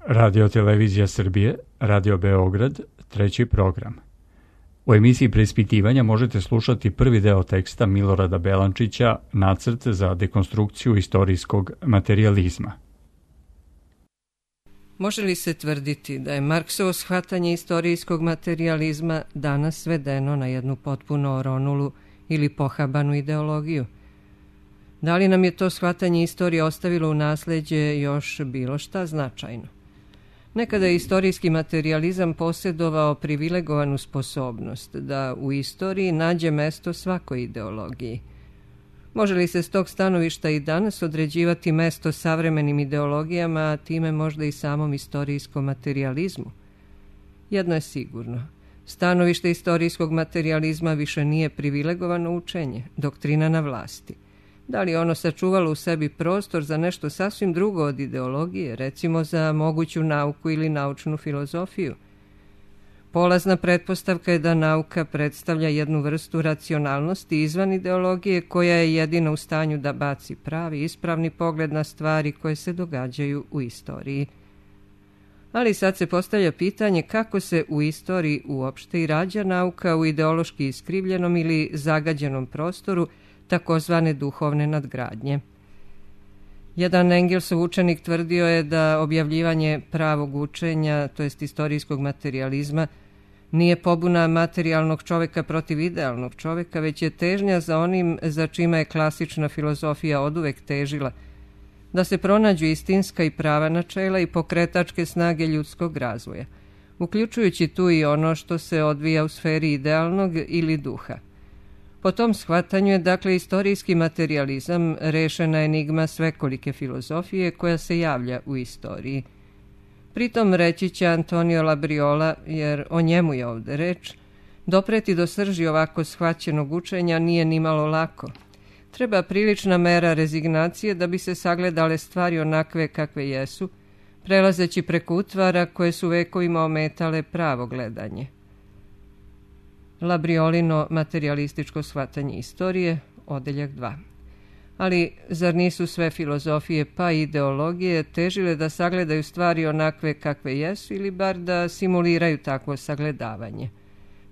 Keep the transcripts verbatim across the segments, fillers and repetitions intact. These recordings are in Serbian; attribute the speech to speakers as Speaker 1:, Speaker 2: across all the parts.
Speaker 1: Radio Televizija Srbije, Radio Beograd, treći program. U emisiji preispitivanja možete slušati prvi deo teksta Milorada Belančića, Nacrt za dekonstrukciju istorijskog materijalizma.
Speaker 2: Može li se tvrditi da je Marksovo shvatanje istorijskog materijalizma danas svedeno na jednu potpuno oronulu ili pohabanu ideologiju? Da li nam je to shvatanje istorije ostavilo u nasleđe još bilo šta značajno? Nekada je istorijski materijalizam posjedovao privilegovanu sposobnost da u istoriji nađe mesto svakoj ideologiji. Može li se s tog stanovišta i danas određivati mesto savremenim ideologijama, a time možda i samom istorijskom materijalizmu? Jedno je sigurno. Stanovište istorijskog materijalizma više nije privilegovano učenje, doktrina na vlasti. Da li ono sačuvalo u sebi prostor za nešto sasvim drugo od ideologije, recimo za moguću nauku ili naučnu filozofiju? Polazna pretpostavka je da nauka predstavlja jednu vrstu racionalnosti izvan ideologije koja je jedina u stanju da baci pravi, ispravni pogled na stvari koje se događaju u istoriji. Ali sad se postavlja pitanje kako se u istoriji uopšte i rađa nauka u ideološki iskrivljenom ili zagađenom prostoru takozvane duhovne nadgradnje. Jedan Engelsov učenik tvrdio je da objavljivanje pravog učenja, to jest istorijskog materijalizma, nije pobuna materijalnog čoveka protiv idealnog čoveka, već je težnja za onim za čime je klasična filozofija oduvek težila, da se pronađu istinska i prava načela i pokretačke snage ljudskog razvoja, uključujući tu i ono što se odvija u sferi idealnog ili duha. Po tom shvatanju je, dakle, istorijski materijalizam rešena enigma svekolike filozofije koja se javlja u istoriji. Pritom reći će Antonio Labriola, jer o njemu je ovde reč, dopreti do srži ovako shvaćenog učenja nije nimalo lako. Treba prilična mera rezignacije da bi se sagledale stvari onakve kakve jesu, prelazeći preko utvara koje su vekovima ometale pravo gledanje. Labriolino materijalističko shvatanje istorije, odeljak dva. Ali zar nisu sve filozofije pa i ideologije težile da sagledaju stvari onakve kakve jesu ili bar da simuliraju takvo sagledavanje?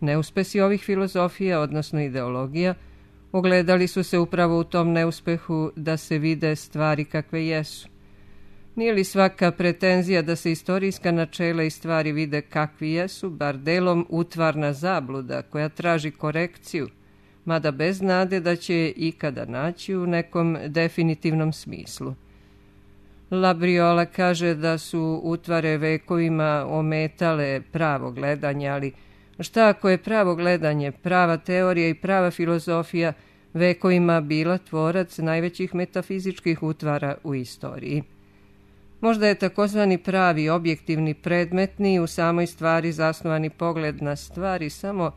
Speaker 2: Neuspesi ovih filozofija, odnosno ideologija, ogledali su se upravo u tom neuspehu da se vide stvari kakve jesu. Nije li svaka pretenzija da se istorijska načela i stvari vide kakvi jesu, bar delom utvarna zabluda koja traži korekciju, mada bez nade da će je ikada naći u nekom definitivnom smislu? Labriola kaže da su utvare vekovima ometale pravo gledanje, ali šta ako je pravo gledanje, prava teorija i prava filozofija vekovima bila tvorac najvećih metafizičkih utvara u istoriji? Možda je takozvani pravi, objektivni, predmetni u samoj stvari zasnovani pogled na stvari samo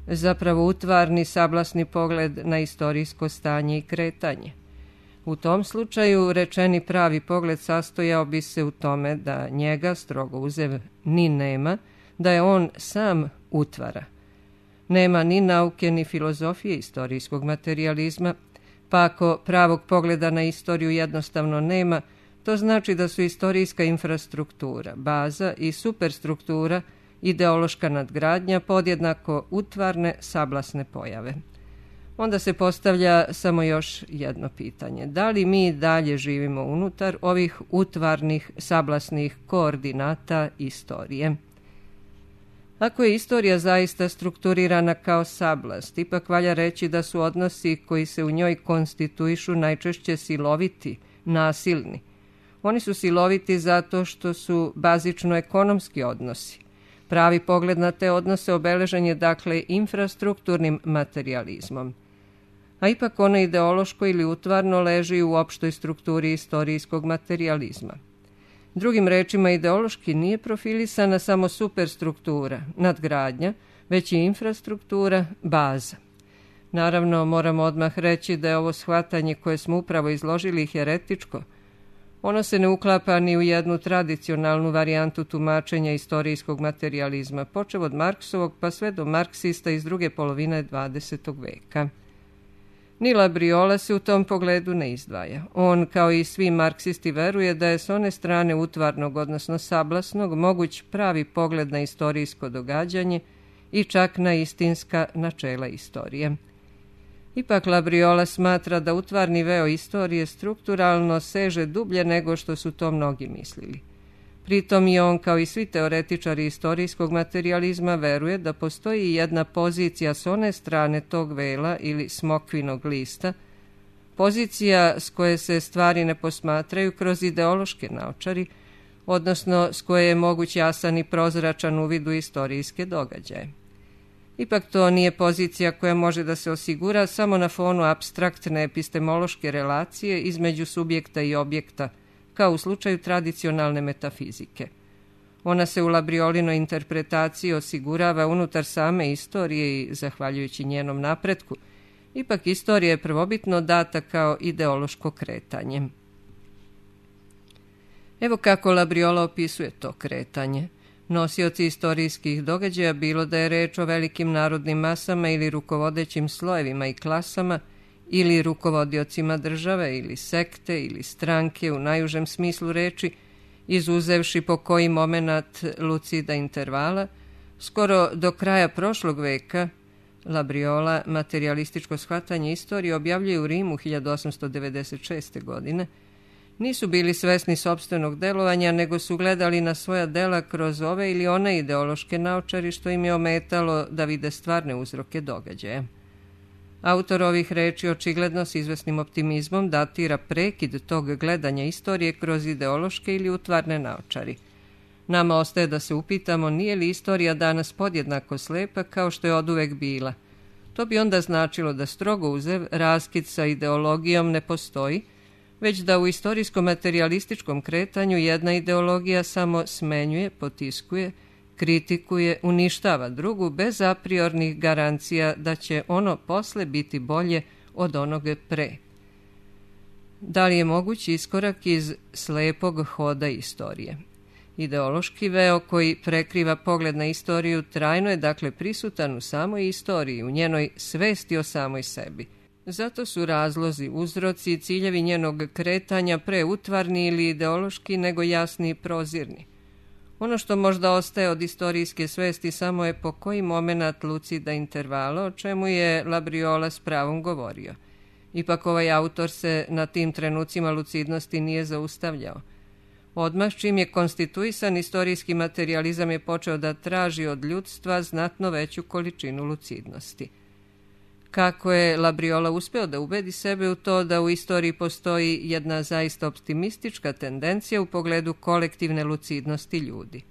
Speaker 2: zapravo utvarni, sablasni pogled na istorijsko stanje i kretanje. U tom slučaju rečeni pravi pogled sastojao bi se u tome da njega, strogo uzev, ni nema, da je on sam utvara. Nema ni nauke ni filozofije istorijskog materijalizma, pa ako pravog pogleda na istoriju jednostavno nema, to znači da su istorijska infrastruktura, baza i superstruktura, ideološka nadgradnja podjednako utvarne, sablasne pojave. Onda se postavlja samo još jedno pitanje. Da li mi dalje živimo unutar ovih utvarnih, sablasnih koordinata istorije? Ako je istorija zaista strukturirana kao sablast, ipak valja reći da su odnosi koji se u njoj konstituišu najčešće siloviti, nasilni. Oni su siloviti zato što su bazično ekonomski odnosi. Pravi pogled na te odnose obeležen je, dakle, infrastrukturnim materijalizmom. A ipak ono ideološko ili utvarno leži u opštoj strukturi istorijskog materijalizma. Drugim rečima, ideološki nije profilisana samo superstruktura, nadgradnja, već i infrastruktura, baza. Naravno, moramo odmah reći da je ovo shvatanje koje smo upravo izložili heretičko. Ono se ne uklapa ni u jednu tradicionalnu varijantu tumačenja istorijskog materijalizma, počev od Marksovog pa sve do marksista iz druge polovine dvadesetog veka. Ni Labriola se u tom pogledu ne izdvaja. On, kao i svi marksisti, veruje da je s one strane utvarnog, odnosno sablasnog, moguć pravi pogled na istorijsko događanje i čak na istinska načela istorije. Ipak Labriola smatra da utvarni veo istorije strukturalno seže dublje nego što su to mnogi mislili. Pritom i on, kao i svi teoretičari istorijskog materijalizma, veruje da postoji jedna pozicija s one strane tog vela ili smokvinog lista, pozicija s koje se stvari ne posmatraju kroz ideološke naočari, odnosno s koje je moguć jasan i prozračan uvid u istorijske događaje. Ipak to nije pozicija koja može da se osigura samo na fonu apstraktne epistemološke relacije između subjekta i objekta, kao u slučaju tradicionalne metafizike. Ona se u Labriolinoj interpretaciji osigurava unutar same istorije i, zahvaljujući njenom napretku, ipak istorija je prvobitno data kao ideološko kretanje. Evo kako Labriola opisuje to kretanje. Nosioci istorijskih događaja, bilo da je reč o velikim narodnim masama ili rukovodećim slojevima i klasama, ili rukovodiocima države, ili sekte, ili stranke u najužem smislu reči, izuzevši po koji moment lucida intervala, skoro do kraja prošlog veka, Labriola materijalističko shvatanje istorije objavljuje u Rimu hiljadu osamsto devedeset šeste. godine, nisu bili svesni sopstvenog delovanja, nego su gledali na svoja dela kroz ove ili one ideološke naočari, što im je ometalo da vide stvarne uzroke događaja. Autor ovih reči očigledno s izvesnim optimizmom datira prekid tog gledanja istorije kroz ideološke ili utvarne naočari. Nama ostaje da se upitamo nije li istorija danas podjednako slepa kao što je oduvek bila. To bi onda značilo da strogo uzev raskid sa ideologijom ne postoji, već da u istorijsko-materialističkom kretanju jedna ideologija samo smenjuje, potiskuje, kritikuje, uništava drugu bez apriornih garancija da će ono posle biti bolje od onog pre. Da li je moguć iskorak iz slepog hoda istorije? Ideološki veo koji prekriva pogled na istoriju trajno je dakle prisutan u samoj istoriji, u njenoj svesti o samoj sebi. Zato su razlozi, uzroci i ciljevi njenog kretanja pre utvarni ili ideološki nego jasni i prozirni. Ono što možda ostaje od istorijske svesti samo je po koji moment lucida intervala, o čemu je Labriola s pravom govorio. Ipak ovaj autor se na tim trenucima lucidnosti nije zaustavljao. Odmah čim je konstituisan, istorijski materijalizam je počeo da traži od ljudstva znatno veću količinu lucidnosti. Kako je Labriola uspeo da ubedi sebe u to da u istoriji postoji jedna zaista optimistička tendencija u pogledu kolektivne lucidnosti ljudi.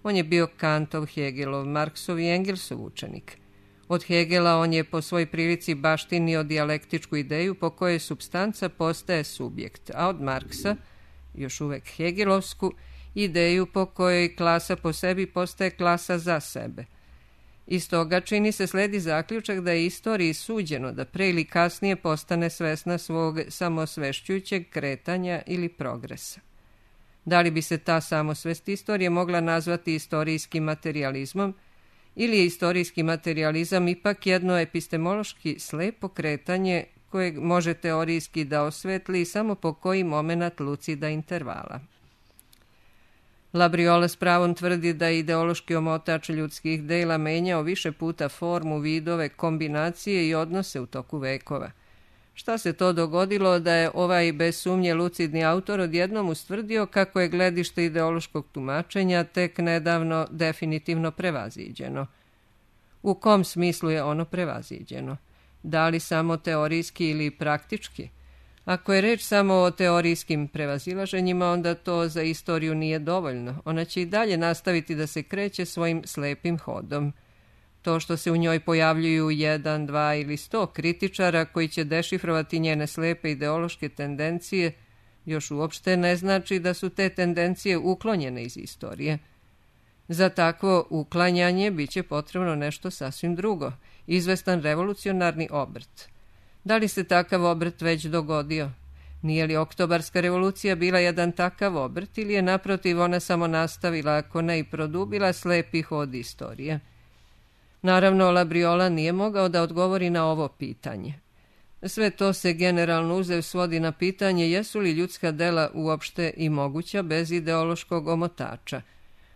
Speaker 2: On je bio Kantov, Hegelov, Marksov i Engelsov učenik. Od Hegela on je po svoj prilici baštinio dijalektičku ideju po kojoj supstanca postaje subjekt, a od Marksa, još uvek hegelovsku, ideju po kojoj klasa po sebi postaje klasa za sebe. Iz toga čini se sledi zaključak da je istoriji suđeno da pre ili kasnije postane svesna svog samosvešćujućeg kretanja ili progresa. Da li bi se ta samosvest istorije mogla nazvati istorijskim materijalizmom, ili je istorijski materijalizam ipak jedno epistemološki slepo kretanje kojeg može teorijski da osvetli samo po koji moment lucida intervala. Labriola s pravom tvrdi da je ideološki omotač ljudskih dela menjao više puta formu, vidove, kombinacije i odnose u toku vekova. Šta se to dogodilo da je ovaj bez sumnje lucidni autor odjednom ustvrdio kako je gledište ideološkog tumačenja tek nedavno definitivno prevaziđeno? U kom smislu je ono prevaziđeno? Da li samo teorijski ili praktički? Ako je reč samo o teorijskim prevazilaženjima, onda to za istoriju nije dovoljno. Ona će i dalje nastaviti da se kreće svojim slepim hodom. To što se u njoj pojavljuju jedan, dva ili sto kritičara koji će dešifrovati njene slepe ideološke tendencije, još uopšte ne znači da su te tendencije uklonjene iz istorije. Za takvo uklanjanje bit će potrebno nešto sasvim drugo, izvestan revolucionarni obrt. Da li se takav obrt već dogodio? Nije li Oktobarska revolucija bila jedan takav obrt ili je naprotiv ona samo nastavila, ako ne i produbila, slepi hod istorije? Naravno, Labriola nije mogao da odgovori na ovo pitanje. Sve to se generalno uzev svodi na pitanje jesu li ljudska dela uopšte i moguća bez ideološkog omotača.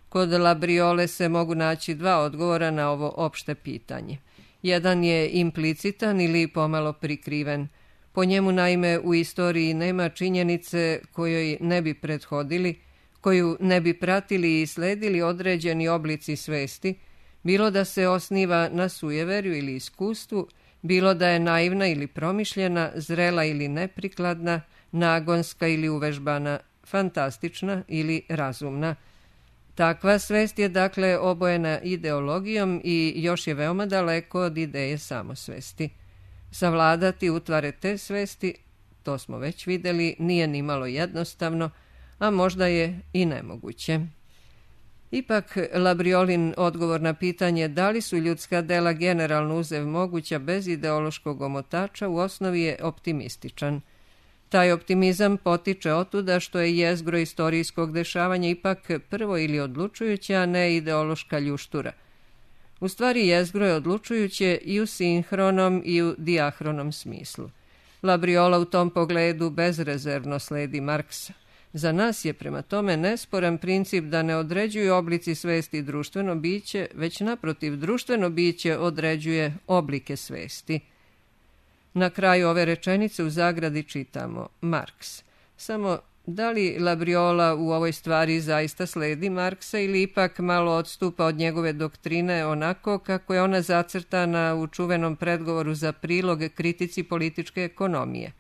Speaker 2: Kod Labriole se mogu naći dva odgovora na ovo opšte pitanje. Jedan je implicitan ili pomalo prikriven. Po njemu naime u istoriji nema činjenice kojoj ne bi prethodili, koju ne bi pratili i sledili određeni oblici svesti, bilo da se osniva na sujeverju ili iskustvu, bilo da je naivna ili promišljena, zrela ili neprikladna, nagonska ili uvežbana, fantastična ili razumna. Takva svest je dakle obojena ideologijom i još je veoma daleko od ideje samosvesti. Savladati utvare te svesti, to smo već videli, nije nimalo jednostavno, a možda je i nemoguće. Ipak, Labriolin odgovor na pitanje da li su ljudska dela generalno uzev moguća bez ideološkog omotača u osnovi je optimističan. Taj optimizam potiče otuda što je jezgro istorijskog dešavanja ipak prvo ili odlučujuća, a ne ideološka ljuštura. U stvari jezgro je odlučujuće i u sinhronom i u dijahronom smislu. Labriola u tom pogledu bezrezervno sledi Marksa. Za nas je prema tome nesporan princip da ne određuju oblici svesti društveno biće, već naprotiv društveno biće određuje oblike svesti. Na kraju ove rečenice u zagradi čitamo Marks. Samo da li Labriola u ovoj stvari zaista sledi Marksa ili ipak malo odstupa od njegove doktrine onako kako je ona zacrtana u čuvenom predgovoru za prilog kritici političke ekonomije.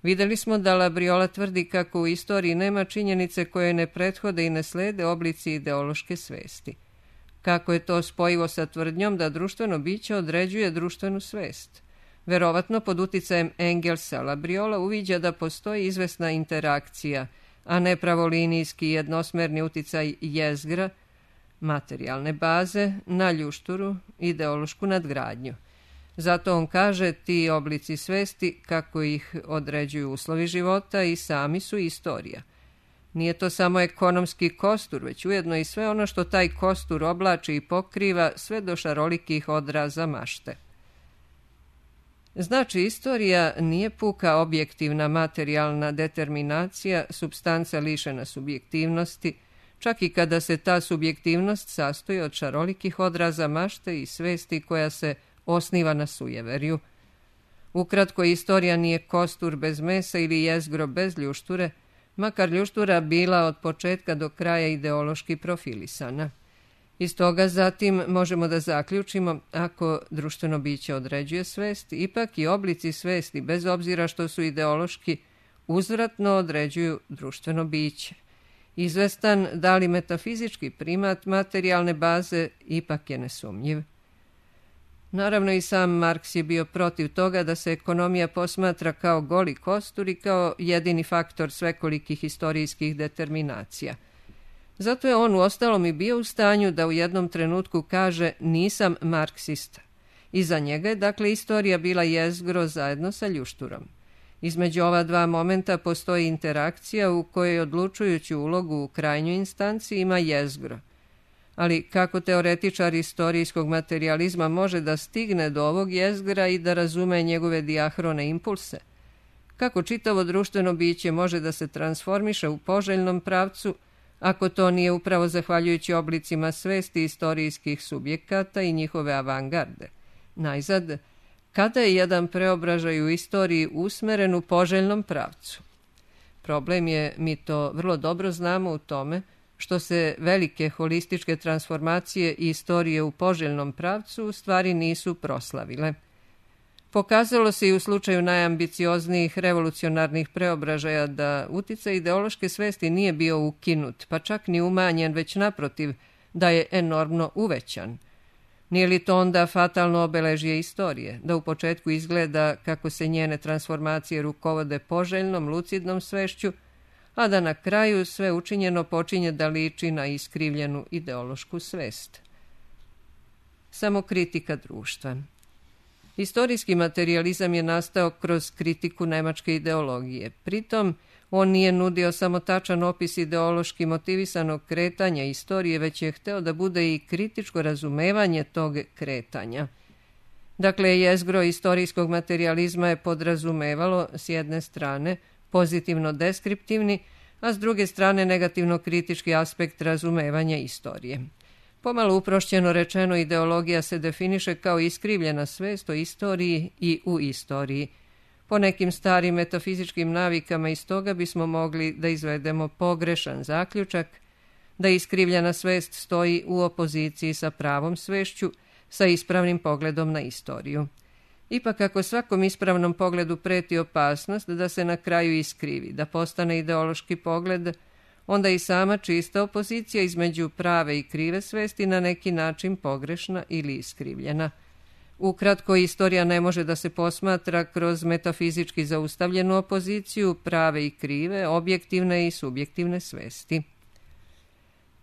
Speaker 2: Videli smo da Labriola tvrdi kako u istoriji nema činjenice koje ne prethode i ne slede oblici ideološke svesti. Kako je to spojivo sa tvrdnjom da društveno biće određuje društvenu svest? Verovatno pod uticajem Engelsa Labriola uviđa da postoji izvesna interakcija, a ne pravolinijski jednosmerni uticaj jezgra, materijalne baze, na ljušturu, ideološku nadgradnju. Zato on kaže ti oblici svesti, kako ih određuju uslovi života i sami su istorija. Nije to samo ekonomski kostur, već ujedno i sve ono što taj kostur oblači i pokriva sve do šarolikih odraza mašte. Znači, istorija nije puka objektivna materijalna determinacija, supstanca lišena subjektivnosti, čak i kada se ta subjektivnost sastoji od šarolikih odraza mašte i svesti koja se osniva na sujeverju. Ukratko, istorija nije kostur bez mesa ili jezgro bez ljušture, makar ljuštura bila od početka do kraja ideološki profilisana. Iz toga zatim možemo da zaključimo, ako društveno biće određuje svest, ipak i oblici svesti, bez obzira što su ideološki, uzvratno određuju društveno biće. Izvestan, da li metafizički primat materijalne baze, ipak je nesumnjiv. Naravno i sam Marks je bio protiv toga da se ekonomija posmatra kao goli kostur i kao jedini faktor svekolikih historijskih determinacija. Zato je on uostalom i bio u stanju da u jednom trenutku kaže nisam marksista. Iza njega je dakle istorija bila jezgro zajedno sa ljušturom. Između ova dva momenta postoji interakcija u kojoj odlučujuću ulogu u krajnjoj instanciji ima jezgro. Ali kako teoretičar istorijskog materijalizma može da stigne do ovog jezgra i da razume njegove dijahrone impulse? Kako čitavo društveno biće može da se transformiše u poželjnom pravcu, ako to nije upravo zahvaljujući oblicima svesti istorijskih subjekata i njihove avangarde? Najzad, kada je jedan preobražaj u istoriji usmeren u poželjnom pravcu? Problem je, mi to vrlo dobro znamo, u tome što se velike holističke transformacije i istorije u poželjnom pravcu u stvari nisu proslavile. Pokazalo se i u slučaju najambicioznijih revolucionarnih preobražaja da uticaj ideološke svesti nije bio ukinut, pa čak ni umanjen, već naprotiv, da je enormno uvećan. Nije li to onda fatalno obeležje istorije, da u početku izgleda kako se njene transformacije rukovode poželjnom, lucidnom svešću, a da na kraju sve učinjeno počinje da liči na iskrivljenu ideološku svest? Samokritika društva. Istorijski materijalizam je nastao kroz kritiku nemačke ideologije. Pritom, on nije nudio samo tačan opis ideološki motivisanog kretanja istorije, već je hteo da bude i kritičko razumevanje tog kretanja. Dakle, jezgro istorijskog materijalizma je podrazumevalo s jedne strane pozitivno deskriptivni, a s druge strane negativno kritički aspekt razumevanja istorije. Pomalo uprošćeno rečeno, ideologija se definiše kao iskrivljena svest o istoriji i u istoriji. Po nekim starim metafizičkim navikama iz toga bismo mogli da izvedemo pogrešan zaključak da iskrivljena svest stoji u opoziciji sa pravom svešću, sa ispravnim pogledom na istoriju. Ipak, ako svakom ispravnom pogledu preti opasnost da se na kraju iskrivi, da postane ideološki pogled, onda i sama čista opozicija između prave i krive svesti na neki način pogrešna ili iskrivljena. Ukratko, istorija ne može da se posmatra kroz metafizički zaustavljenu opoziciju prave i krive, objektivne i subjektivne svesti.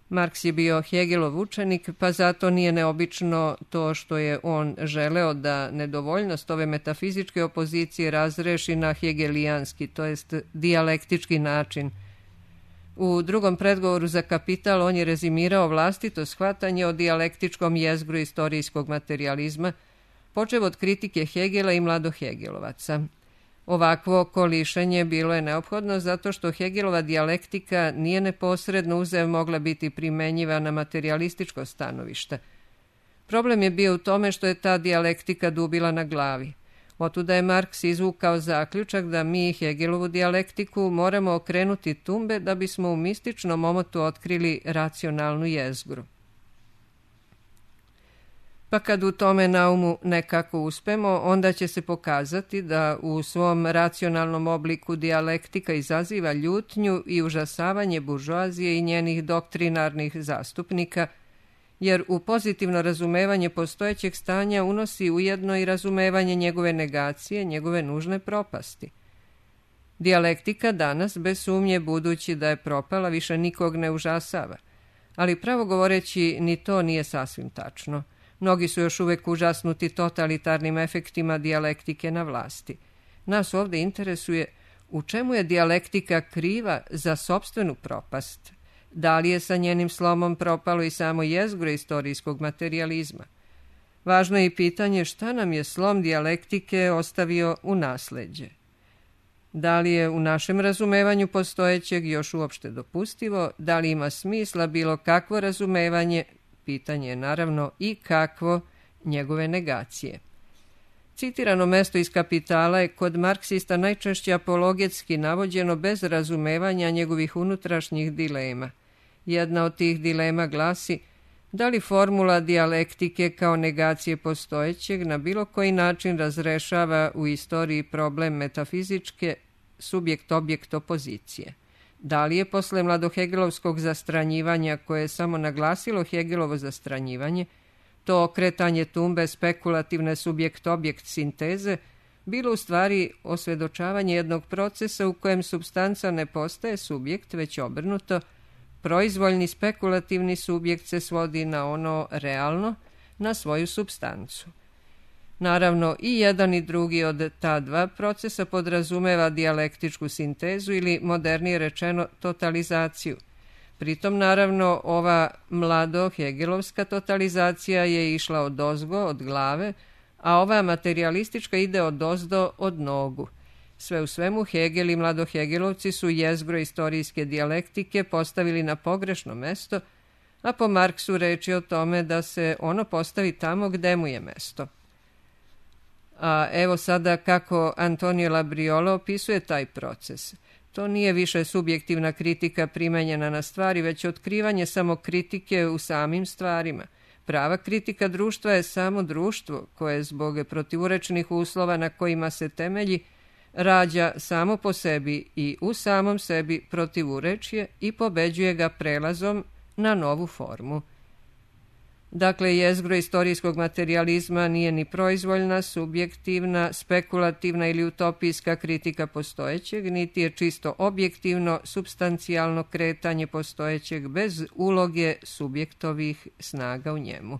Speaker 2: Marks je bio Hegelov učenik, pa zato nije neobično to što je on želeo da nedovoljnost ove metafizičke opozicije razreši na hegelijanski, to jest dijalektički način. U drugom predgovoru za Kapital on je rezimirao vlastito shvatanje o dijalektičkom jezgru istorijskog materijalizma, počev od kritike Hegela i mladohegelovaca. Ovakvo kolišenje bilo je neophodno zato što Hegelova dijalektika nije neposredno uzev mogla biti primenjiva na materijalističko stanovište. Problem je bio u tome što je ta dijalektika dubila na glavi. Otuda je Marks izvukao zaključak da mi Hegelovu dijalektiku moramo okrenuti tumbe da bismo u mističnom omotu otkrili racionalnu jezgru. Pa kad u tome naumu nekako uspemo, onda će se pokazati da u svom racionalnom obliku dijalektika izaziva ljutnju i užasavanje buržoazije i njenih doktrinarnih zastupnika, jer u pozitivno razumevanje postojećeg stanja unosi ujedno i razumevanje njegove negacije, njegove nužne propasti. Dijalektika danas, bez sumnje, budući da je propala, više nikog ne užasava, ali pravo govoreći ni to nije sasvim tačno. Mnogi su još uvek užasnuti totalitarnim efektima dijalektike na vlasti. Nas ovdje interesuje u čemu je dijalektika kriva za sopstvenu propast. Da li je sa njenim slomom propalo i samo jezgro istorijskog materijalizma? Važno je i pitanje šta nam je slom dijalektike ostavio u nasleđe. Da li je u našem razumevanju postojećeg još uopšte dopustivo, da li ima smisla bilo kakvo razumevanje, pitanje je naravno i kakvo njegove negacije. Citirano mesto iz Kapitala je kod marksista najčešće apologetski navođeno bez razumevanja njegovih unutrašnjih dilema. Jedna od tih dilema glasi da li formula dijalektike kao negacije postojećeg na bilo koji način razrešava u istoriji problem metafizičke subjekt-objekt opozicije. Da li je posle mladohegelovskog zastranjivanja, koje je samo naglasilo Hegelovo zastranjivanje, to okretanje tumbe spekulativne subjekt-objekt sinteze, bilo u stvari osvedočavanje jednog procesa u kojem supstanca ne postaje subjekt, već obrnuto, proizvoljni spekulativni subjekt se svodi na ono realno, na svoju supstancu. Naravno, i jedan i drugi od ta dva procesa podrazumeva dijalektičku sintezu ili, modernije rečeno, totalizaciju. Pritom, naravno, ova mlado-hegelovska totalizacija je išla od ozgo, od glave, a ova materijalistička ide od ozdo, od nogu. Sve u svemu, Hegel i mladohegelovci su jezgro istorijske dijalektike postavili na pogrešno mesto, a po Marksu reči o tome da se ono postavi tamo gde mu je mesto. A evo sada kako Antonio Labriola opisuje taj proces. To nije više subjektivna kritika primenjena na stvari, već otkrivanje samokritike u samim stvarima. Prava kritika društva je samo društvo koje zbog protivurečnih uslova na kojima se temelji rađa samo po sebi i u samom sebi protivurečje i pobeđuje ga prelazom na novu formu. Dakle, jezgro istorijskog materijalizma nije ni proizvoljna, subjektivna, spekulativna ili utopijska kritika postojećeg, niti je čisto objektivno, supstancijalno kretanje postojećeg bez uloge subjektovih snaga u njemu.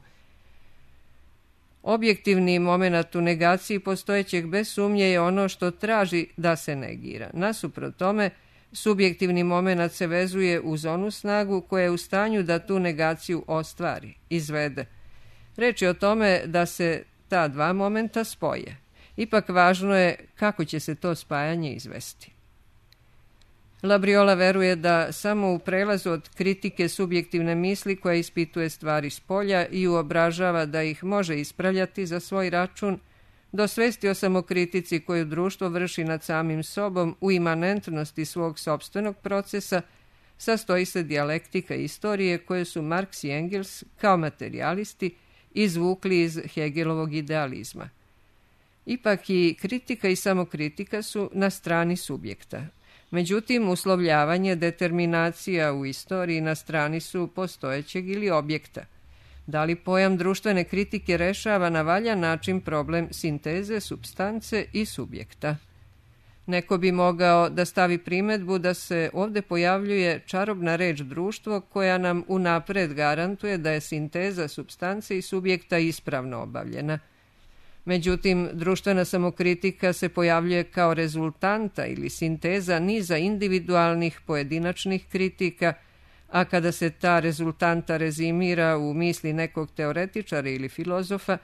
Speaker 2: Objektivni moment u negaciji postojećeg bez sumnje je ono što traži da se negira. Nasuprot tome, subjektivni moment se vezuje uz onu snagu koja je u stanju da tu negaciju ostvari, izvede. Reč je o tome da se ta dva momenta spoje. Ipak važno je kako će se to spajanje izvesti. Labriola veruje da samo u prelazu od kritike subjektivne misli koja ispituje stvari s polja i uobražava da ih može ispravljati za svoj račun, do svesti o samokritici koju društvo vrši nad samim sobom u imanentnosti svog sopstvenog procesa, sastoji se dijalektika istorije koje su Marks i Engels kao materijalisti izvukli iz Hegelovog idealizma. Ipak i kritika i samokritika su na strani subjekta. Međutim, uslovljavanje, determinacija u istoriji na strani su postojećeg ili objekta. Da li pojam društvene kritike rešava na valjan način problem sinteze, supstance i subjekta? Neko bi mogao da stavi primedbu da se ovde pojavljuje čarobna reč društvo koja nam unapred garantuje da je sinteza supstance i subjekta ispravno obavljena. Međutim, društvena samokritika se pojavljuje kao rezultanta ili sinteza niza individualnih pojedinačnih kritika, a kada se ta rezultanta rezimira u misli nekog teoretičara ili filozofa,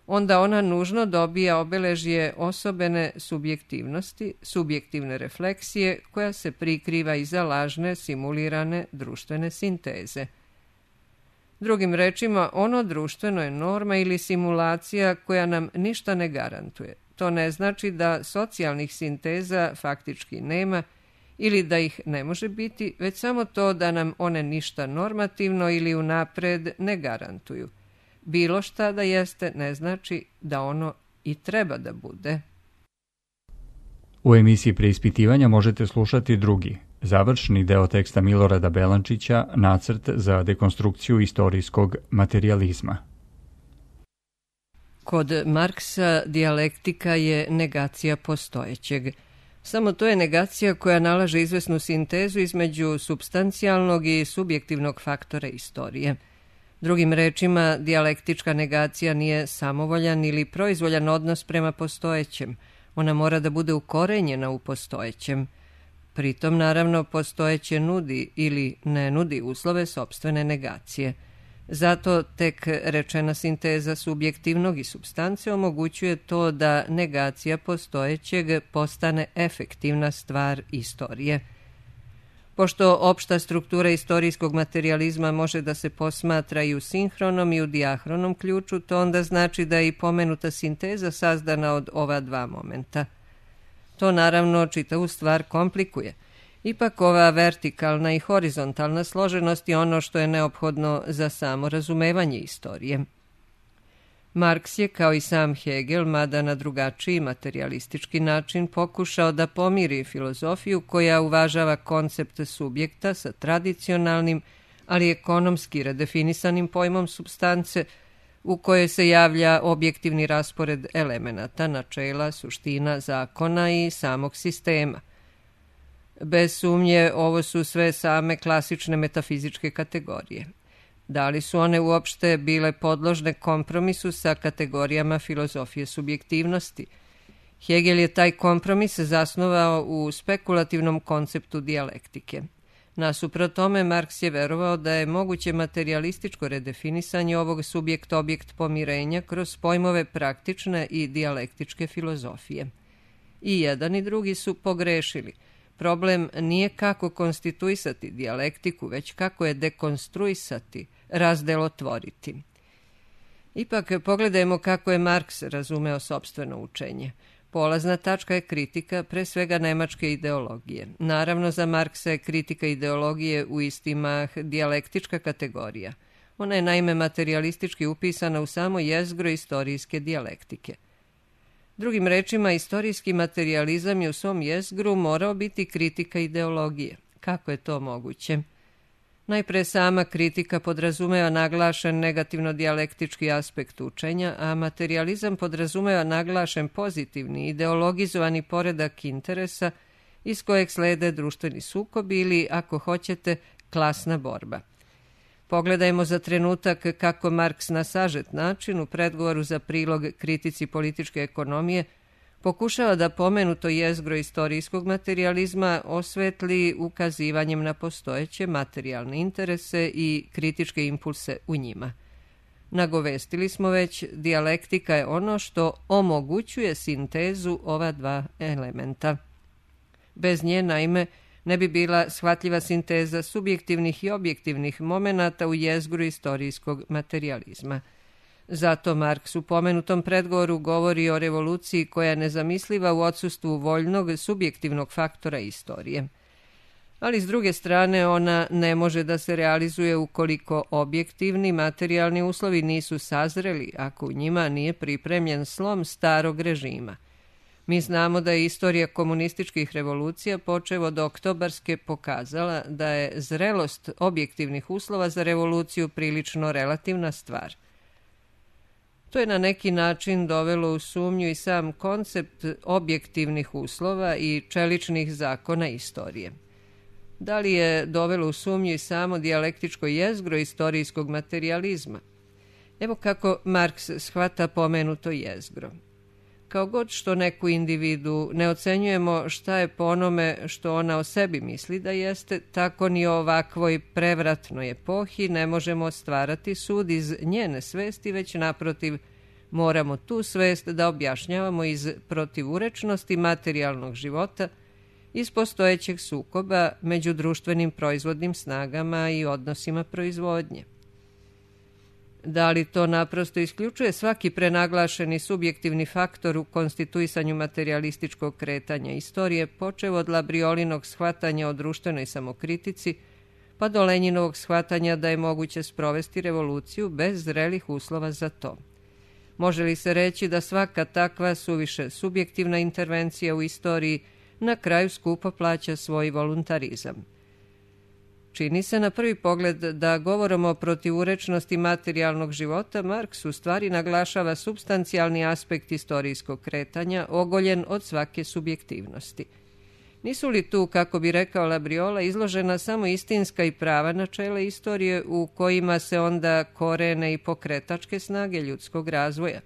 Speaker 2: onda ona nužno dobija obeležje osobene subjektivnosti, subjektivne refleksije koja se prikriva iza lažne, simulirane društvene sinteze. Drugim rečima, ono društveno je norma ili simulacija koja nam ništa ne garantuje. To ne znači da socijalnih sinteza faktički nema ili da ih ne može biti, već samo to da nam one ništa normativno ili unapred ne garantuju. Bilo šta da jeste ne znači da ono i treba da bude.
Speaker 1: U emisiji Preispitivanja možete slušati drugi, završni deo teksta Milorada Belančića, Nacrt za dekonstrukciju istorijskog materijalizma.
Speaker 2: Kod Marksa dijalektika je negacija postojećeg. Samo to je negacija koja nalaže izvesnu sintezu između supstancijalnog i subjektivnog faktora istorije. Drugim rečima, dijalektička negacija nije samovoljan ili proizvoljan odnos prema postojećem. Ona mora da bude ukorenjena u postojećem. Pritom, naravno, postojeće nudi ili ne nudi uslove sopstvene negacije. Zato tek rečena sinteza subjektivnog i supstance omogućuje to da negacija postojećeg postane efektivna stvar istorije. Pošto opšta struktura istorijskog materijalizma može da se posmatra i u sinhronom i u dijahronom ključu, to onda znači da je i pomenuta sinteza sazdana od ova dva momenta. To naravno čitavu stvar komplikuje. Ipak ova vertikalna i horizontalna složenost je ono što je neophodno za samo razumevanje istorije. Marks je, kao i sam Hegel, mada na drugačiji materijalistički način, pokušao da pomiri filozofiju koja uvažava koncept subjekta sa tradicionalnim, ali ekonomski redefinisanim pojmom supstance, u kojoj se javlja objektivni raspored elemenata, načela, suština, zakona i samog sistema. Bez sumnje, ovo su sve same klasične metafizičke kategorije. Da li su one uopšte bile podložne kompromisu sa kategorijama filozofije subjektivnosti? Hegel je taj kompromis zasnovao u spekulativnom konceptu dijalektike. Nasuprot tome, Marks je verovao da je moguće materijalističko redefinisanje ovog subjekt-objekt pomirenja kroz pojmove praktične i dijalektičke filozofije. I jedan i drugi su pogrešili. Problem nije kako konstituisati dijalektiku, već kako je dekonstruisati, razdelotvoriti. Ipak pogledajmo kako je Marks razumeo sopstveno učenje. Polazna tačka je kritika, pre svega nemačke ideologije. Naravno, za Marksa je kritika ideologije u istimah dijalektička kategorija. Ona je naime materijalistički upisana u samo jezgro istorijske dijalektike. Drugim rečima, istorijski materijalizam je u svom jezgru morao biti kritika ideologije. Kako je to moguće? Najpre sama kritika podrazumeva naglašen negativno-dijalektički aspekt učenja, a materijalizam podrazumeva naglašen pozitivni, ideologizovani poredak interesa iz kojeg slede društveni sukob ili, ako hoćete, klasna borba. Pogledajmo za trenutak kako Marks na sažet način u predgovoru za prilog kritici političke ekonomije pokušava da pomenuto jezgro istorijskog materijalizma osvetli ukazivanjem na postojeće materijalne interese i kritičke impulse u njima. Nagovestili smo već, dijalektika je ono što omogućuje sintezu ova dva elementa. Bez nje, naime, ne bi bila shvatljiva sinteza subjektivnih i objektivnih momenata u jezgru istorijskog materijalizma. Zato Marks u pomenutom predgovoru govori o revoluciji koja je nezamisliva u odsustvu voljnog subjektivnog faktora istorije. Ali s druge strane ona ne može da se realizuje ukoliko objektivni materijalni uslovi nisu sazreli, ako u njima nije pripremljen slom starog režima. Mi znamo da je istorija komunističkih revolucija počev od oktobarske pokazala da je zrelost objektivnih uslova za revoluciju prilično relativna stvar. To je na neki način dovelo u sumnju i sam koncept objektivnih uslova i čeličnih zakona istorije. Da li je dovelo u sumnju i samo dijalektičko jezgro istorijskog materijalizma? Evo kako Marks shvata pomenuto jezgro. Kao god što neku individu ne ocenjujemo šta je po onome što ona o sebi misli da jeste, tako ni o ovakvoj prevratnoj epohi ne možemo stvarati sud iz njene svesti, već naprotiv moramo tu svest da objašnjavamo iz protivurečnosti materijalnog života, iz postojećeg sukoba među društvenim proizvodnim snagama i odnosima proizvodnje. Da li to naprosto isključuje svaki prenaglašeni subjektivni faktor u konstituisanju materijalističkog kretanja istorije, počev od Labriolinog shvatanja o društvenoj samokritici, pa do Lenjinovog shvatanja da je moguće sprovesti revoluciju bez zrelih uslova za to? Može li se reći da svaka takva suviše subjektivna intervencija u istoriji na kraju skupo plaća svoj voluntarizam? Čini se na prvi pogled da govorom o protivurečnosti materijalnog života Marks u stvari naglašava supstancijalni aspekt istorijskog kretanja, ogoljen od svake subjektivnosti. Nisu li tu, kako bi rekao Labriola, izložena samo istinska i prava načela istorije u kojima se onda korene i pokretačke snage ljudskog razvoja?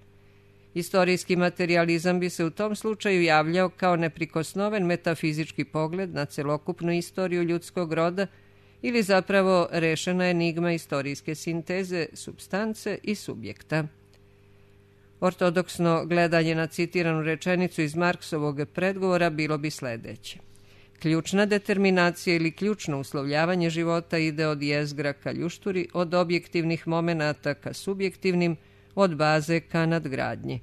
Speaker 2: Istorijski materijalizam bi se u tom slučaju javljao kao neprikosnoven metafizički pogled na celokupnu istoriju ljudskog roda ili zapravo rešena enigma istorijske sinteze, supstance i subjekta. Ortodoksno gledanje na citiranu rečenicu iz Marksovog predgovora bilo bi sledeće. Ključna determinacija ili ključno uslovljavanje života ide od jezgra ka ljušturi, od objektivnih momenata ka subjektivnim, od baze ka nadgradnji.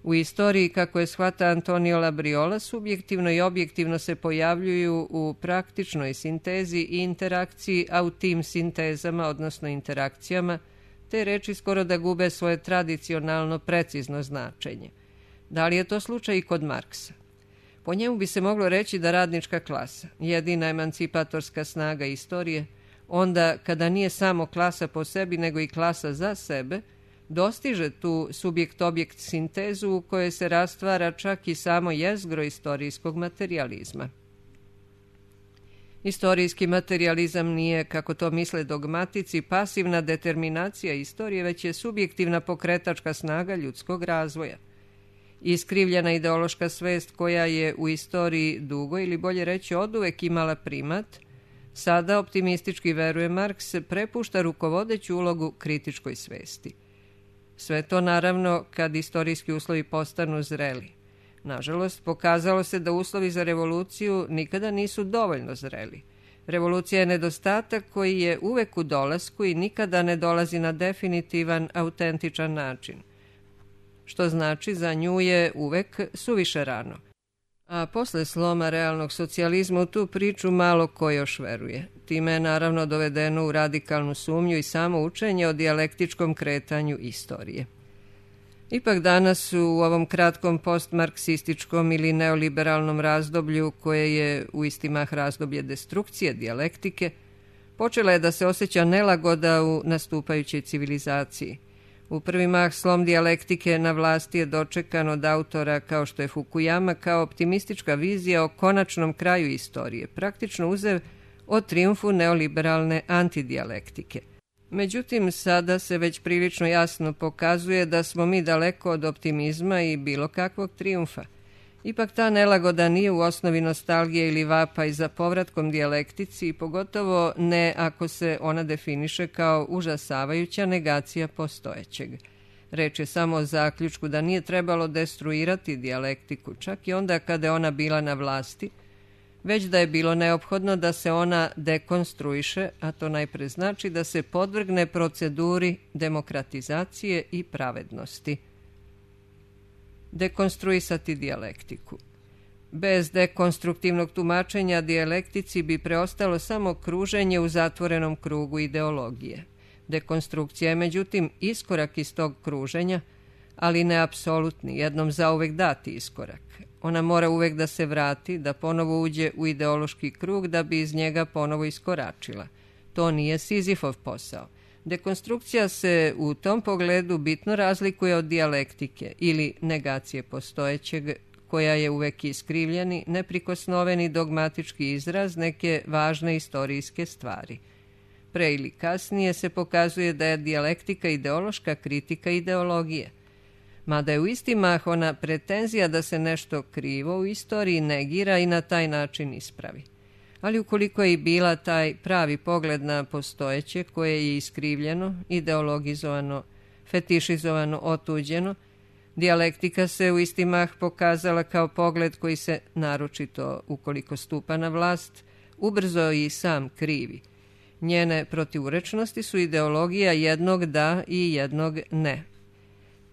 Speaker 2: U istoriji, kako je shvata Antonio Labriola, subjektivno i objektivno se pojavljuju u praktičnoj sintezi i interakciji, a u tim sintezama, odnosno interakcijama, te reči skoro da gube svoje tradicionalno precizno značenje. Da li je to slučaj i kod Marksa? Po njemu bi se moglo reći da radnička klasa, jedina emancipatorska snaga istorije, onda kada nije samo klasa po sebi, nego i klasa za sebe, dostiže tu subjekt-objekt sintezu u kojoj se rastvara čak i samo jezgro istorijskog materijalizma. Istorijski materijalizam nije, kako to misle dogmatici, pasivna determinacija istorije, već je subjektivna pokretačka snaga ljudskog razvoja. Iskrivljena ideološka svest koja je u istoriji dugo ili bolje reći oduvek imala primat, sada optimistički veruje Marks, prepušta rukovodeću ulogu kritičkoj svesti. Sve to naravno kad istorijski uslovi postanu zreli. Nažalost, pokazalo se da uslovi za revoluciju nikada nisu dovoljno zreli. Revolucija je nedostatak koji je uvek u dolasku i nikada ne dolazi na definitivan, autentičan način. Što znači za nju je uvek suviše rano. A posle sloma realnog socijalizma u tu priču malo ko još veruje. Time je naravno dovedeno u radikalnu sumnju i samo učenje o dijalektičkom kretanju istorije. Ipak danas u ovom kratkom postmarksističkom ili neoliberalnom razdoblju, koje je u isti mah razdoblje destrukcije dijalektike, počela je da se osjeća nelagoda u nastupajućoj civilizaciji. U prvi mah slom dijalektike na vlasti je dočekan od autora kao što je Fukuyama kao optimistička vizija o konačnom kraju istorije, praktično uzev o trijumfu neoliberalne antidijalektike. Međutim, sada se već prilično jasno pokazuje da smo mi daleko od optimizma i bilo kakvog trijumfa. Ipak ta nelagoda nije u osnovi nostalgije ili vapaj za povratkom dijalektici i pogotovo ne ako se ona definiše kao užasavajuća negacija postojećeg. Reč je samo o zaključku da nije trebalo destruirati dijalektiku, čak i onda kada je ona bila na vlasti, već da je bilo neophodno da se ona dekonstruiše, a to najpre znači da se podvrgne proceduri demokratizacije i pravednosti. Dekonstruisati dijalektiku. Bez dekonstruktivnog tumačenja dijalektici bi preostalo samo kruženje u zatvorenom krugu ideologije. Dekonstrukcija je međutim iskorak iz tog kruženja, ali ne apsolutni, jednom zauvek dati iskorak. Ona mora uvek da se vrati, da ponovo uđe u ideološki krug da bi iz njega ponovo iskoračila. To nije Sizifov posao. Dekonstrukcija se u tom pogledu bitno razlikuje od dijalektike ili negacije postojećeg, koja je uvek iskrivljeni, neprikosnoveni dogmatički izraz neke važne istorijske stvari. Pre ili kasnije se pokazuje da je dijalektika ideološka kritika ideologije. Mada je u isti mah ona pretenzija da se nešto krivo u istoriji negira i na taj način ispravi. Ali ukoliko je i bila taj pravi pogled na postojeće koje je iskrivljeno, ideologizovano, fetišizovano, otuđeno, dijalektika se u isti mah pokazala kao pogled koji se, naročito ukoliko stupa na vlast, ubrzo i sam krivi. Njene protivurečnosti su ideologija jednog da i jednog ne.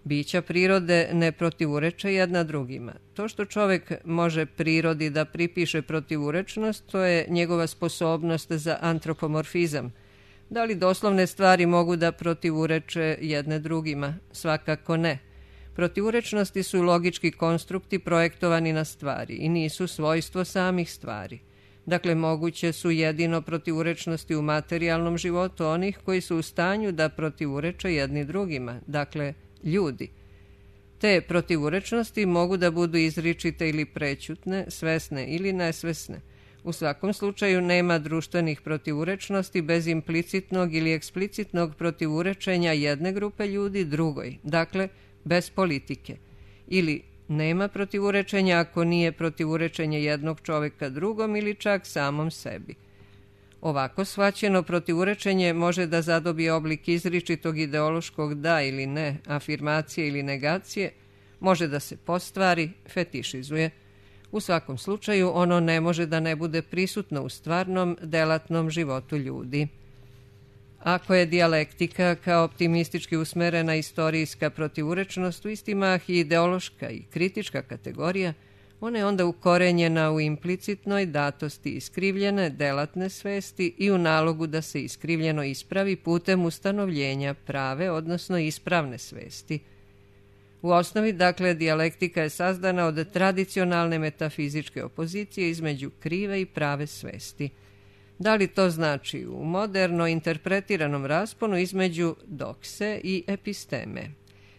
Speaker 2: Bića prirode ne protivureče jedna drugima. To što čovek može prirodi da pripiše protivurečnost, to je njegova sposobnost za antropomorfizam. Da li doslovne stvari mogu da protivureče jedne drugima? Svakako ne. Protivurečnosti su logički konstrukti projektovani na stvari i nisu svojstvo samih stvari. Dakle, moguće su jedino protivurečnosti u materijalnom životu onih koji su u stanju da protivureče jedni drugima, dakle, ljudi. Te protivurečnosti mogu da budu izričite ili prećutne, svesne ili nesvesne. U svakom slučaju nema društvenih protivurečnosti bez implicitnog ili eksplicitnog protivurečenja jedne grupe ljudi drugoj, dakle, bez politike. Ili nema protivurečenja ako nije protivurečenje jednog čoveka drugom ili čak samom sebi. Ovako shvaćeno protivurečenje može da zadobije oblik izričitog ideološkog da ili ne, afirmacije ili negacije, može da se postvari, fetišizuje. U svakom slučaju ono ne može da ne bude prisutno u stvarnom, delatnom životu ljudi. Ako je dijalektika kao optimistički usmerena istorijska protivurečnost u isti mah i ideološka i kritička kategorija, ona je onda ukorenjena u implicitnoj datosti iskrivljene delatne svesti i u nalogu da se iskrivljeno ispravi putem ustanovljenja prave, odnosno ispravne svesti. U osnovi, dakle, dijalektika je sazdana od tradicionalne metafizičke opozicije između krive i prave svesti. Da li to znači u moderno interpretiranom rasponu između dokse i episteme?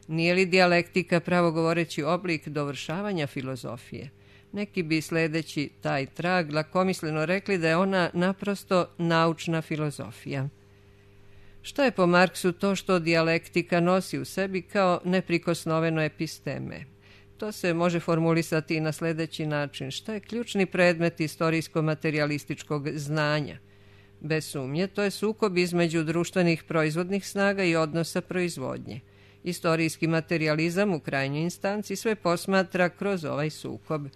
Speaker 2: Nije li dijalektika pravo govoreći oblik dovršavanja filozofije? Neki bi sledeći taj trag lakomisleno rekli da je ona naprosto naučna filozofija. Što je po Marksu to što dijalektika nosi u sebi kao neprikosnoveno episteme? To se može formulisati i na sledeći način. Šta je ključni predmet istorijsko-materialističkog znanja? Bez sumnje, to je sukob između društvenih proizvodnih snaga i odnosa proizvodnje. Istorijski materijalizam u krajnjoj instanci sve posmatra kroz ovaj sukob.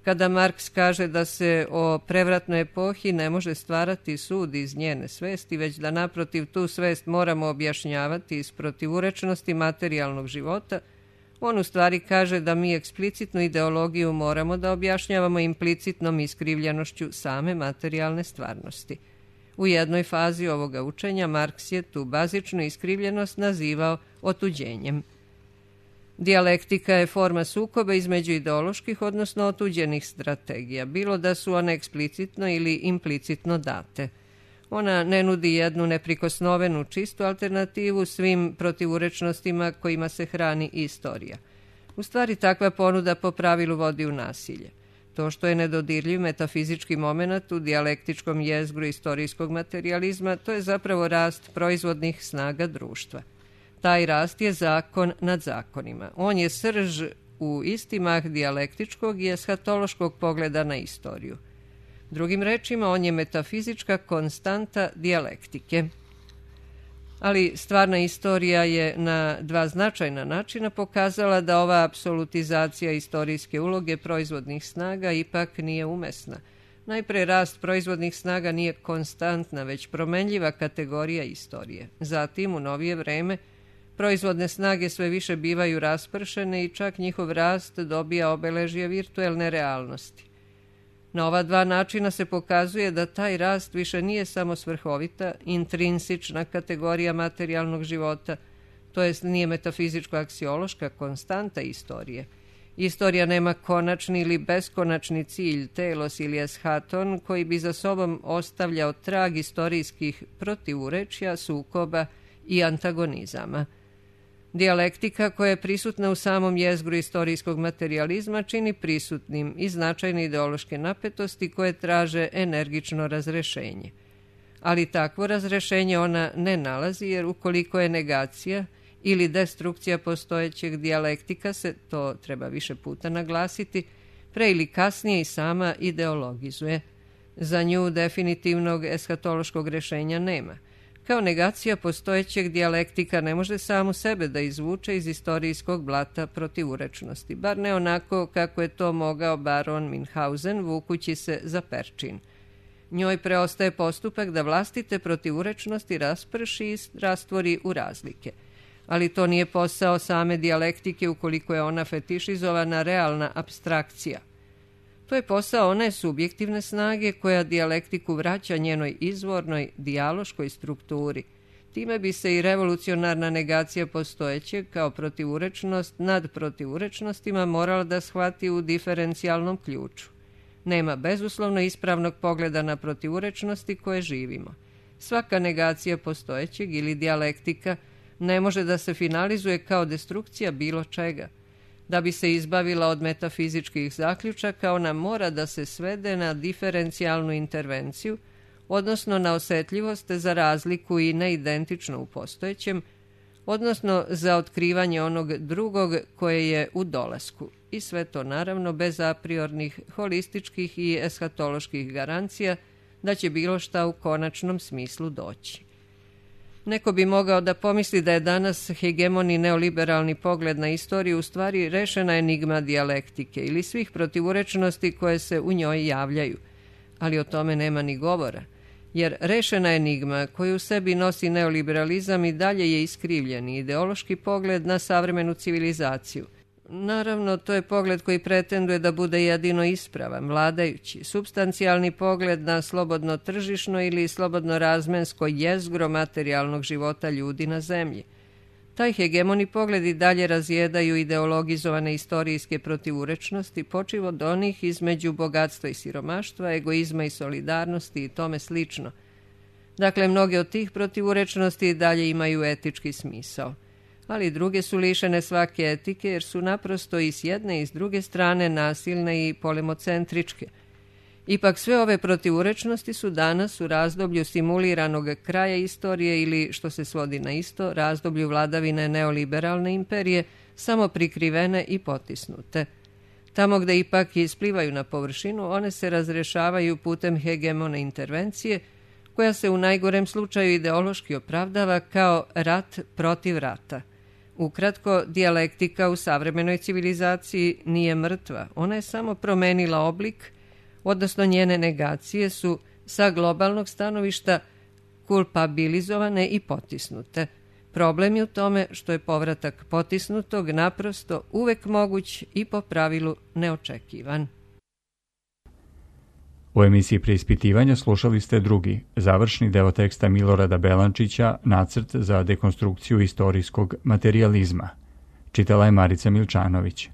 Speaker 2: Kada Marks kaže da se o prevratnoj epohi ne može stvarati sud iz njene svesti, već da naprotiv tu svest moramo objašnjavati iz protivurečnosti materijalnog života, on u stvari kaže da mi eksplicitnu ideologiju moramo da objašnjavamo implicitnom iskrivljenošću same materijalne stvarnosti. U jednoj fazi ovoga učenja Marks je tu bazičnu iskrivljenost nazivao otuđenjem. Dijalektika je forma sukoba između ideoloških, odnosno otuđenih strategija, bilo da su one eksplicitno ili implicitno date. Ona ne nudi jednu neprikosnovenu čistu alternativu svim protivurečnostima kojima se hrani istorija. U stvari, takva ponuda po pravilu vodi u nasilje. To što je nedodirljiv metafizički moment u dijalektičkom jezgru istorijskog materijalizma, to je zapravo rast proizvodnih snaga društva. Taj rast je zakon nad zakonima. On je srž u isti mah dijalektičkog i eshatološkog pogleda na istoriju. Drugim rečima, on je metafizička konstanta dijalektike. Ali stvarna istorija je na dva značajna načina pokazala da ova apsolutizacija istorijske uloge proizvodnih snaga ipak nije umesna. Najpre, rast proizvodnih snaga nije konstantna, već promenljiva kategorija istorije. Zatim, u novije vreme, proizvodne snage sve više bivaju raspršene i čak njihov rast dobija obeležje virtuelne realnosti. Na ova dva načina se pokazuje da taj rast više nije samo svrhovita, intrinsična kategorija materijalnog života, to jest nije metafizičko-aksiološka konstanta istorije. Istorija nema konačni ili beskonačni cilj, telos ili eschaton, koji bi za sobom ostavljao trag istorijskih protivurečja, sukoba i antagonizama. Dijalektika koja je prisutna u samom jezgru istorijskog materijalizma čini prisutnim i značajne ideološke napetosti koje traže energično razrešenje. Ali takvo razrešenje ona ne nalazi, jer ukoliko je negacija ili destrukcija postojećeg dijalektika se, to treba više puta naglasiti, pre ili kasnije i sama ideologizuje. Za nju definitivnog eshatološkog rešenja nema. Kao negacija postojećeg dijalektika ne može samu sebe da izvuče iz istorijskog blata protivurečnosti, bar ne onako kako je to mogao baron Minhausen vukući se za perčin. Njoj preostaje postupak da vlastite protivurečnosti rasprši i rastvori u razlike. Ali to nije posao same dijalektike ukoliko je ona fetišizovana realna apstrakcija. To je posao one subjektivne snage koja dijalektiku vraća njenoj izvornoj dijaloškoj strukturi. Time bi se i revolucionarna negacija postojećeg kao protivurečnost nad protivurečnostima morala da shvati u diferencijalnom ključu. Nema bezuslovno ispravnog pogleda na protivurečnosti koje živimo. Svaka negacija postojećeg ili dijalektika ne može da se finalizuje kao destrukcija bilo čega. Da bi se izbavila od metafizičkih zaključaka, ona mora da se svede na diferencijalnu intervenciju, odnosno na osetljivost za razliku i neidentično u postojećem, odnosno za otkrivanje onog drugog koje je u dolasku. I sve to naravno bez apriornih, holističkih i eshatoloških garancija da će bilo šta u konačnom smislu doći. Neko bi mogao da pomisli da je danas hegemoni neoliberalni pogled na istoriju u stvari rešena enigma dijalektike ili svih protivurečnosti koje se u njoj javljaju. Ali o tome nema ni govora, jer rešena enigma koju u sebi nosi neoliberalizam i dalje je iskrivljeni ideološki pogled na savremenu civilizaciju. Naravno, to je pogled koji pretenduje da bude jedino ispravan, vladajući, supstancijalni pogled na slobodno tržišno ili slobodno razmensko jezgro materijalnog života ljudi na zemlji. Taj hegemoni pogled i dalje razjedaju ideologizovane istorijske protivurečnosti, počev od onih između bogatstva i siromaštva, egoizma i solidarnosti i tome slično. Dakle, mnoge od tih protivurečnosti i dalje imaju etički smisao. Ali druge su lišene svake etike jer su naprosto i s jedne i s druge strane nasilne i polemocentričke. Ipak sve ove protivurečnosti su danas u razdoblju simuliranog kraja istorije ili, što se svodi na isto, razdoblju vladavine neoliberalne imperije, samo prikrivene i potisnute. Tamo gde ipak isplivaju na površinu, one se razrešavaju putem hegemone intervencije, koja se u najgorem slučaju ideološki opravdava kao rat protiv rata. Ukratko, dijalektika u savremenoj civilizaciji nije mrtva, ona je samo promenila oblik, odnosno njene negacije su sa globalnog stanovišta kulpabilizovane i potisnute. Problem je u tome što je povratak potisnutog naprosto uvek moguć i po pravilu neočekivan.
Speaker 1: U emisiji Preispitivanja slušali ste drugi, završni deo teksta Milorada Belančića, Nacrt za dekonstrukciju istorijskog materijalizma. Čitala je Marica Milčanović.